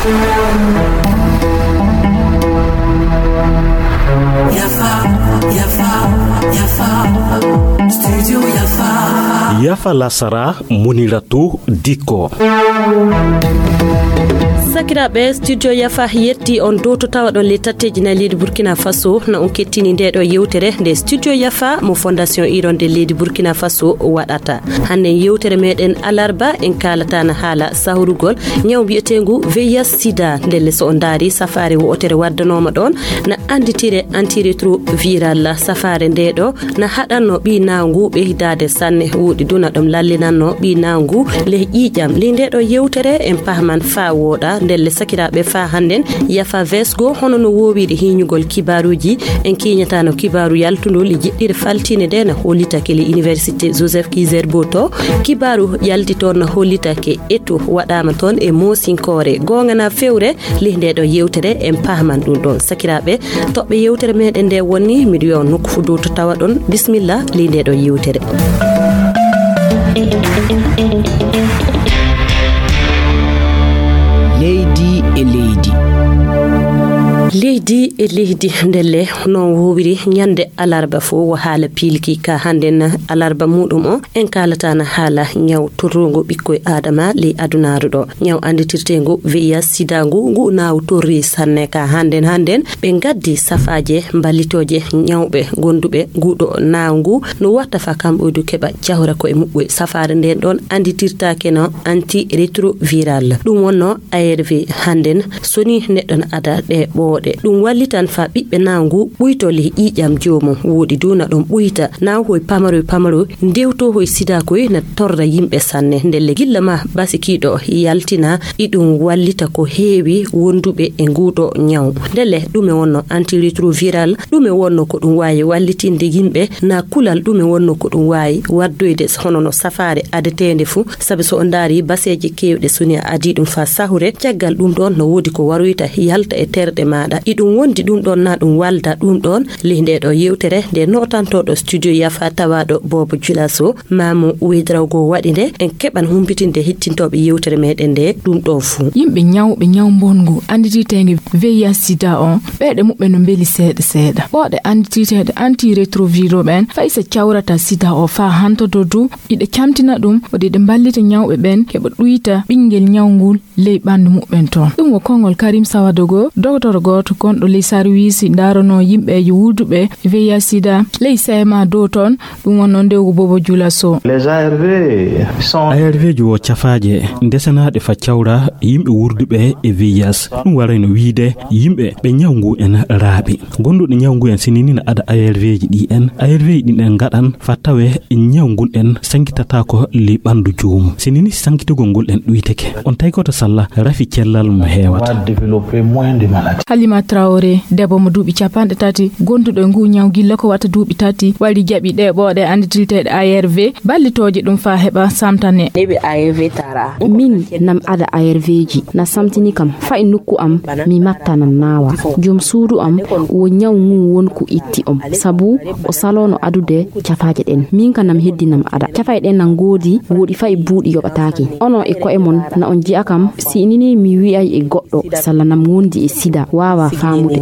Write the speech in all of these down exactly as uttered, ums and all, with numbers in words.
Yafa, Yafa, Yafa, Studio Yafa. Yafa lasara, Muniratu Diko. Sakiraaɓe, Studio Yafa yetti on dow to tawa ɗon le tatteji na leydi Burkina Faso, na on kettini nde ɗo yewtere nde Studio Yafa mo Fondation Iron de leydi Burkina Faso waɗata. Hannde yewtere meɗen alarba en kaalata na haala sahurugol ñaw mbiyetengu V I H sida. Ndelle so on ndaari safaare wo'otere waddanoma ɗon na anditire antirétroviral. Safaare nde ɗo na haɗanno ɓi nawngu ɓeydaade sanne. Woɗi duna ɗum lallinanno ɓi nawngu leh ƴiiƴam. Li nde ɗo yewtere en pahman faa wooɗa. Ndelle sakiraaɓe faa hannden Yafa vesgo hono no woowiri hiñugol kibaaruuji. En kiiñataano kibaaru yaltundol e jiɗɗire faltiinde nde na hollitake le Université Joseph Kizerbo to. Kibaaru yalti toon na hollitake eto waɗaama toon e moosinkoore. Goonga na fewre ley nde ɗo yewtere en pahman ɗum ɗon. Sakiraaɓe, toɓɓe yewtere meɗen nde wonni miɗo wiya on nokku fof dow to tawa ɗon. Bisimilla ley nde ɗo yewtere. Leydi e leydi. Leydi e leydi, ndelle noon woowiri ñande alarba fof wo haala piilki ka hannden alarba muɗum o en kaalata na haala ñaw torrungu ɓikkoy adama ley adunaaru ɗo. Ñaw annditirteengu V I H sida ngu, ngu naawu torri sanne ka hannden hannden ɓe ngaddi safaaje mballitooje ñawɓe gonduɓe nguɗo naawu ngu no watta fa kamɓe du keɓa jahora ko e muɓɓoy. Safaare nden ɗon annditirtaake no antirétroviral. Ɗum wonno A R V hannden so ni neɗɗo na ada ɗe ɓooɗe. Ɗum wallitan fa ɓiɓɓe naawu ngu ɓuyto ley ƴiiƴam joomum. Woɗi du na ɗum ɓuyta naawu hoy pamaroy pamaroy ndewto hoy sida koy na torra yimɓe sanne. Ndelle gilla ma basikiiɗo yaltina iɗum wallita ko heewi wonduɓe e nguɗo ñaw. Ndelle ɗume wonno antirétroviral? Ɗume wonno ko ɗum waawi wallitinde yimɓe? Na kulal ɗume wonno ko ɗum waawi waddoyde hono no safaare adeteende fuu? Sabi so on ndaari baseeje keewɗe so ni a adii ɗum faa sahure, caggal ɗum ɗoon no woodi ko waroyta yalta e terɗe maaɗa. Iɗum wondi ɗum ɗoon na ɗum walda ɗum ɗoon ley nde ɗo yewtere nde nootantooɗo studio Yafa tawaaɗo Boobo Julaso. Maamu Wedrawgo waɗi nde, en keɓan humpitinde hettintooɓe yewtere meɗen nde ɗum ɗo fuu. Yimɓe ñawɓe ñaw mbonngu anndititeenge V I H sida o, ɓeeɗe muɓɓen no mbeli seeɗa seeɗa. Ɓooɗe anndititeeɗe antirétroviraux ɓen, fay so cawrata sida o faa hantodo du, iɗe camtina ɗum, waɗi ɗe mballita ñawɓe ɓen heɓa ɗuyta ɓinngel ñaw ngul ley ɓanndu muɓɓen toon. Ɗum wo konngol Karim Sawadogo, doktor gooto gonɗo ley sarwiisi ndaranoo yimɓeejo wuurduɓe V I H sida ley C M A dow toon, ɗum wonnoo ndewgu Bobo Jula Sow. Les A R V sont A R V ji wo cafaaje ndesenaaɗe fa cawra yimɓe wuurduɓe e V I H. Ɗum warayno wiyde yimɓe ɓe ñaw ngu en raaɓi. Gonduɗo ñaw ngu en sinini na ada A R V ji ɗi en. A R V ji ɗin en ngaɗan fa tawe ñaw ngun en sankitata ko li ɓandu joomum. Sinini sankitugol ngol en ɗuyteke. On tawi ko to salla rafi cellal mo heewata. Va développer moins de maladies. Halima Traoré, debbo mo duuɓi capanɗe tati, gonduɗo e ngu ñaw gilla ko wata duuɓi tati, wari jaɓi ɗe ɓooɗe anndititeeɗe A R V, ballitooje ɗum faa heɓa samtane. Neɓe A R V tara. Min nam ada A R V ji na samtini kam, fay nokku am mi matta nan naawa. Joom suudu am wo ñaw ngu won ko itti om, sabu o salono adude cafaaje ɗen. Min ka nam heddi nam ada. Cafaaje ɗen nan ngoodi, woodi fay buuɗi yoɓataake. Onon e ko'e mon na on ji'a kam, si inini mi wi'ay e goɗɗo, salla nam wondi e sida, waawa faamude.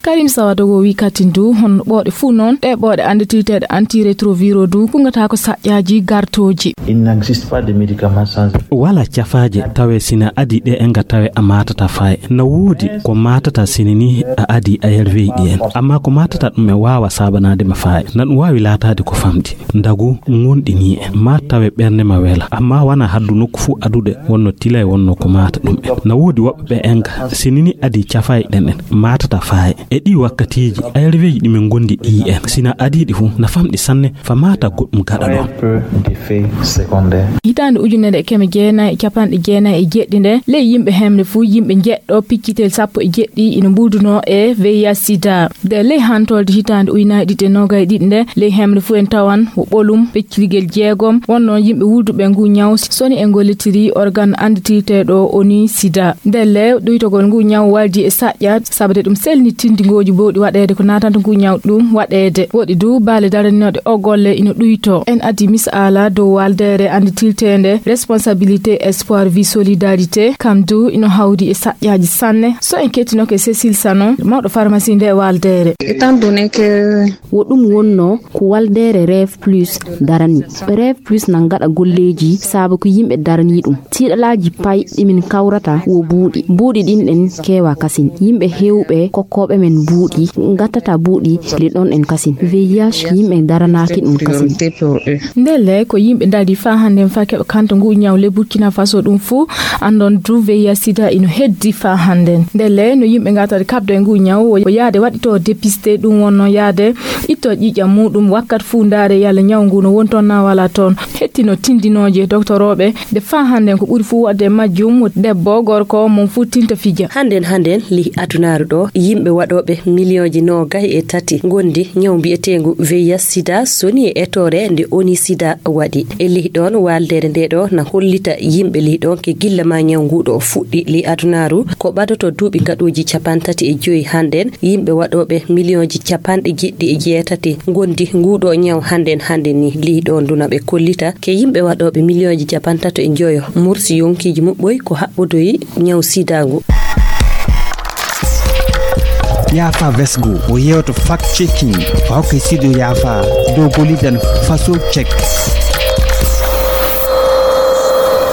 Karim Sawadogo wi katin du, hono ɓooɗe fuu noon, ɗe ɓooɗe anndititeeɗe antirétroviraux du, kungata ko saƴƴaaji gartooji. Il n'existe pas de médicament sans effet. Wala cafaaje tawe sina adi ɗe enga tawe a matata faaye. Na woodi ko matata sinini a adi A R V ɗi en. Amma ko matata ɗum e waawa saabanaade ma faaye. Na ɗum waawi laataade ko famɗi. Ndagu ngonɗini en. Ma tawe ɓernde ma wela. Amma wana haddu nokku fuu adude wonno tilay wonno ko mata ɗum en. Na woodi woɓɓe ɓe enga sinini adi cafaaye ɗen en. Matata faaye. E ɗi wakkatiiji, A R V ji ɗi min gondi ɗi en. Sina adiiɗi fu, na famɗi sanne, fa mata goɗɗum gaɗa ɗon. Très peu d'effets secondaires. Hitaande ujunere e keme jeenayi e capanɗe jeenayi e jeɗɗi nde, ley yimɓe hemre fu, yimɓe njeɗɗo piccitel sappo e jeɗɗi ina mbuldunoo e V I H sida. Nde ley hantorde hitaande ujunaaji ɗiɗi e noogay ɗiɗi nde, ley hemre fu en tawan wo ɓolum peccirgel jeegom, wonno yimɓe wulduɓe ngu ñaw soni e ngollitiri organ anndititeeɗo O N U sida. Ndelle ɗuytogol ngu ñaw waldi e saƴƴa Sabde ɗum selni tindingooji bowɗi waɗeede ko naatanta ngu ñaw ɗum waɗeede. Woɗi du baale daraninooɗe o golle ino ɗuyto. En addi misaala dow waldeere annditilteende responsabilité espoir vie solidarité, kam du ino hawdi e saƴƴaaji sanne. So en kettinoke Cécile Sanon, mawɗo pharmacie nde waldeere. Étant donné que wo ɗum wonnoo ko waldeere Rêve Plus darani. Rêve Plus na gaɗa golleeji saabu ko yimɓe darani ɗum. Tiiɗalaaji pay ɗi min kawrata wo buuɗi. Buuɗi ɗin ɗen keewa kasin. Yimɓe heewɓe kokkooɓe men buuɗi gattata buuɗi le ɗon en kasin. V I H yimɓe daranaaki ɗum kasin. Ndelle ko yimɓe darii faa hannden faa keɓa kanta ngu ñaw le Burkina Faso ɗum fuu anndon du V I H sida ino heddi faa hannden. Ndelle no yimɓe ngatata kaɓdo e ngu ñaw wo yaade waɗito dépisté ɗum wonno yaade itto ƴiiƴam muɗum wakkat fuu ndaare yalla ñaw ngu no woni toon na wala toon. Hettino tindinooje doktorooɓe nde faa hannden ko ɓuri fuu waɗde e majjum debbo gorko mon fuu tinta fija. Hannden hannden lih adunaaru ɗo yimɓe waɗooɓe miliyonji noogay e tati ngondi ñaw mbiyeteengu V I H sida soni e etoore nde oni sida waɗi. E lih ɗoon waaldeere nde ɗo na hollita yimɓe lih ɗoon ke gilla ma ñaw ngu ɗo fuɗɗi lih adunaaru ko ɓadoto duuɓi gaɗooji capantati e joyi hannden yimɓe waɗooɓe miliyonji capanɗe jeɗɗi e jeetati ngondi ngu ɗo ñaw hannden hannden ni lih ɗoon duna ɓe kollita ke yimɓe waɗooɓe miliyonji capantato e joyo mursi yonkiiji muɓɓoy ko haɓɓodoyi ñaw sida ngu. Yafa vesgo o yewto fact checking o hokka studio yafa dow golidan faso check.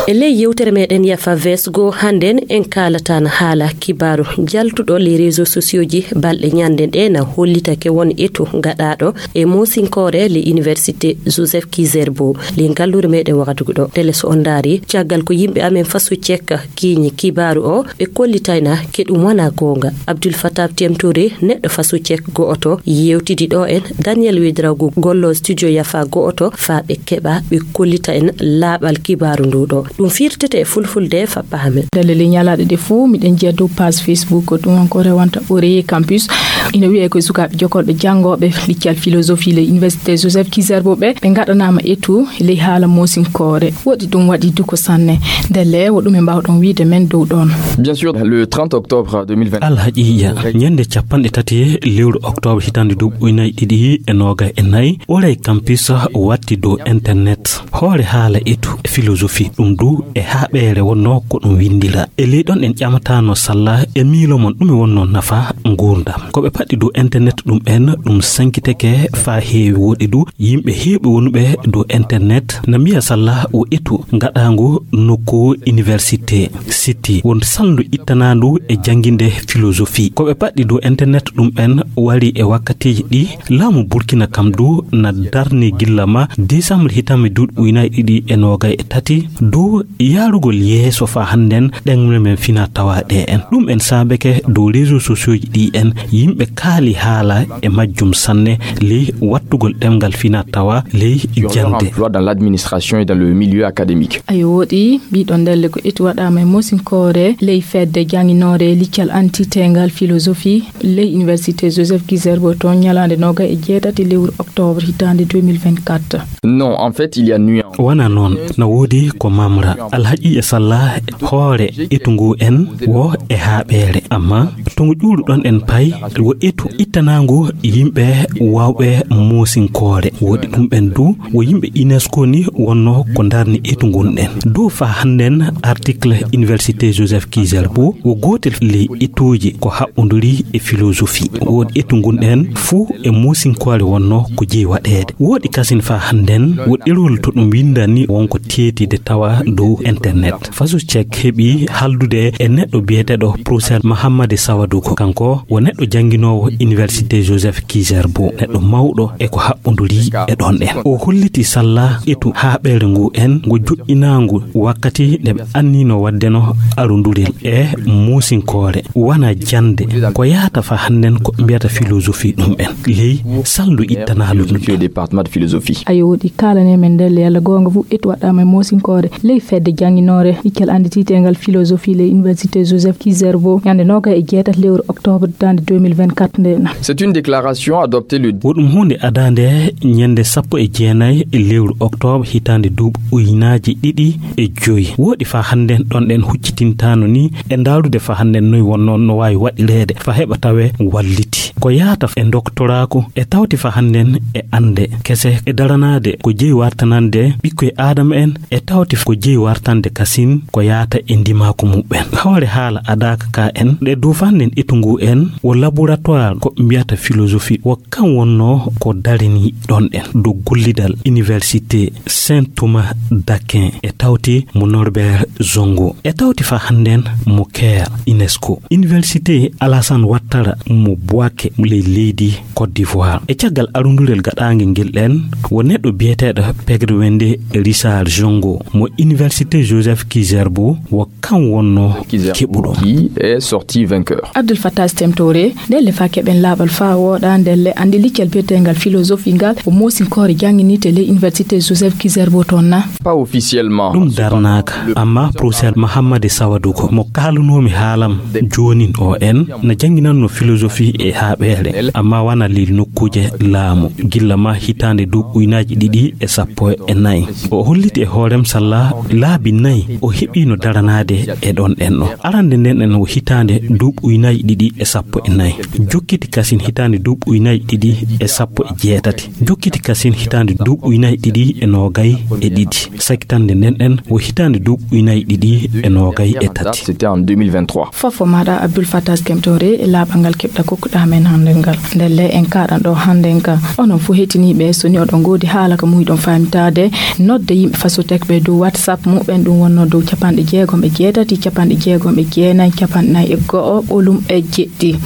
E ley yewtere meɗen yafa vesgo hannden en kaalatan haala kibaaru jaltuɗo les réseaux sociaux ji balɗe ñande ɗe na hollitake won etu gaɗaɗo e mosinkoore le université joseph kizerbo le ngallure meɗen wakatugu ɗo tele so on ndaari caggal ko yimɓe amen faso cekka kiiñi kibaaru o ɓe kollitayna ke ɗum wona goonga. Abdul Fatah Temtore neɗɗo faso cek go'oto yewtidi ɗo en Daniel Wedrago gollo studio yafa go'oto faa ɓe keɓa ɓe kollita en laaɓal kibaaru ndu ɗo ɗum firtete e fulfulde fa pahamen. Ndelle ley ñalaaɗe ɗe fof miɗen njiya dow page Facebook ɗum won ko rewanta Ore Campus ina wiyee ko sukaaɓe jokolɓe janngooɓe liccal philosophie le université Joseph Kizerbo ɓe ɓe ngaɗanaama etu ley haala mosinkoore woɗi ɗum waɗi duko sanne. Ndelle wo ɗum e mbaawɗon wiide men dow ɗoon. Bien sûr, le trente octobre deux mille vingt. Alhaqiiqa ñande capanɗe tati lewru octobre hitande duuɓi ujunaaji ɗiɗi e noogay e nayi Ore Campus watti dow internet hoore haala etu philosophie ɗum du e haaɓeere wonno ko ɗum winndira e ley ɗon en ƴamatano salla e miilo mon ɗum e wonno nafa nguurndam ko ɓe paɗɗi dow internet ɗum en ɗum sankiteke faa heewi woɗi du yimɓe heewɓe wonuɓe dow internet na mbiya salla o etu ngaɗaangu nokku université city won salndu ittanaandu e jannginde philosophie ko ɓe paɗɗi dow internet ɗum en wari e wakkatiiji ɗi laamu burkina kam du na darni gilla ma décembre hitamme duuɗi ujunaaji ɗiɗi e noogay e tati du yaarugol yeeso faa hannden ɗemle men fina tawa ɗe en ɗum en saabeke dow réseau sociaux ji ɗi en yimɓe kaali haala e majjum sanne ley wattugol ɗemngal fina tawa ley jannde. Emploi dans l'administration et dans le milieu académique. Ayo woɗi mbiɗon ndelle ko etu waɗaama e mosinkoore ley fedde jannginoore liccal antitengal philosophie ley université Joseph Kizerbo toon ñalaande noogay e jeetati lewru octobre hitaande deux mille vingt-quatre. Non, en fait il y a nuance. Wona noon na woodi ko mamra alhaqiiqa salla hoore etu ngu en wo e haaɓeere amma to ngu ƴuuruɗon en pay wo etu ittanaangu yimɓe waawɓe moosinkoore woɗi ɗum ɓen du wo yimɓe unesco ni wonno ko darni etu ngun ɗen dow faa hannden article université Joseph Kizerbo wo gootel ley etuuji ko haɓɓonduri e philosophie woɗi etu ngun ɗen fuu e moosinkoore wonno ko jeyi waɗeede woɗi kasin faa hannden wo ɗerol to ɗum winndani wonko teetide tawa dow internet faso cek heɓi haldude e neɗɗo biyeteɗo professeur mahammadi sawadugo kanko wo neɗɗo jannginoowo université Joseph Kizerbo neɗɗo mawɗo e ko haɓɓonduri e ɗon ɗen o holliti salla etu haaɓeere ngu en ngo joƴƴinaangu wakkati nde ɓe annino waddeno arundurel e muusinkoore wona jannde ko yahata fa hannden ko ɓe mbiyata philosophie ɗum en ley salndu ittanaalu ɗum département de philosophie. Ayo woɗi kaalane men ndelle yalla goonga fof etu waɗɗaama e moosinkoore ley fedde jannginoore liccal anndititeengal philosophie ley université Joseph Kizerbo ñande noogay e jeetati lewru octobre hitaande deux mille vingt-quatre. Katnde na. C'est une déclaration adoptée le Wo ɗum huunde adaande ñande sappo e jeenayi e lewru oktoobre hitaande duuɓi ujunaaji ɗiɗi e joyi. Wooɗi faa hannden ɗon ɗen huccitintaano ni e ndaarude faa hannden noy wonnoo no waawi waɗireede faa heɓa tawee walliti. Ko yaata e doktoraaku e tawti faa hannden e annde kese e daranaade ko jeyi wartanande ɓikkoy aadama en e tawti ko jeyi wartande kasin ko yaata e ndimaaku muɓɓen. Hoore haala adaaka ka en ɗe duufannden etu ngu en wo laboratoire ko mbiyata philosophie wo kan wonnoo ko darini ɗon ɗen dow gollidal Université Saint Thomas d'Aquin e tawti mo Norbert Zongo e tawti faa hannden mo Caire UNESCO. Université Alassane Ouattara mo Bouaké ley leydi Côte d'Ivoire. E caggal arundurel gaɗaangel ngel ɗen, wo neɗɗo biyeteeɗo Pegre Wende Richard Zongo mo Université Joseph Kizerbo wo kan wonnoo keɓuɗo. Qui est sorti vainqueur. Abdul Fattah Stem Touré, ndelle faa keɓen laaɓal faa wooɗa, ndelle anndi liccel biyeteengal philosophie ngal, o moosinkoore jannginirte ley Université Joseph Kizerbo toon na? Pas officiellement. Ɗum darnaaka, amma professeur Mahammadi Sawaduko, mo kaalunoomi haalam joonin o en, na jannginannoo philosophie e haaɓeere, amma wana ley nokkuuje laamu, gilla ma hitaande duuɓi ujunaaji ɗiɗi e sappo e nayi. O holliti e hoorem salla laabi nayi o heɓiino daranaade e ɗon ɗen ɗo. Arande nden ɗen o hitaande duuɓi ujunaaji ɗiɗi e sappo e nayi. Jokkiti kasin hitaande duuɓi ujunaaji ɗiɗi e sappo e jeetati. Jokkiti kasin hitaande duuɓi ujunaaji ɗiɗi e noogay e ɗiɗi. Sakkitande nden ɗen o hitaande duuɓi ujunaaji ɗiɗi e noogay e tati. C'était en deux mille vingt-trois. Fofo maaɗa Abdul Fattah Stem Touré e laaɓal ngal keɓɗa kokkuɗa men hannde ngal. Ndelle en kaaɗan ɗo hannde ngal. Onon fof hettiniiɓe, so ni oɗon ngoodi haala ko muuyɗon faamitaade, nodde yimɓe Fasotek ɓe dow WhatsApp muɓɓen, ɗum wonnoo dow capanɗe jeegom e jeetati, capanɗe jeegom e jeenayi, capanɗe nayi e go'o, ɓolum e jeɗɗi.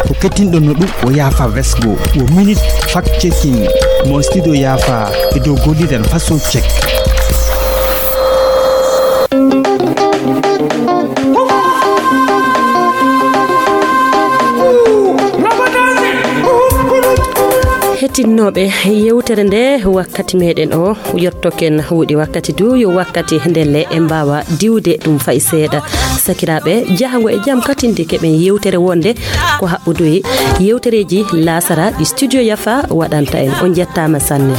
Ko kettinɗon no ɗum o Yaafa Vesgo, o minute fact checking mo studio Yaafa e dow golliren Faso Check. Hettinnooɓe, yewtere nde wakkati meɗen o yottoken, wuuɗi wakkati du yo wakkati ndelle en mbaawa diwde ɗum fay seeɗa. Sakiraaɓe, jahango e jam katinde keɓen yewtere wonde ko haɓɓudu e yewtereeji laasara ɗi studio Yafa waɗanta en. On njettaama sanne.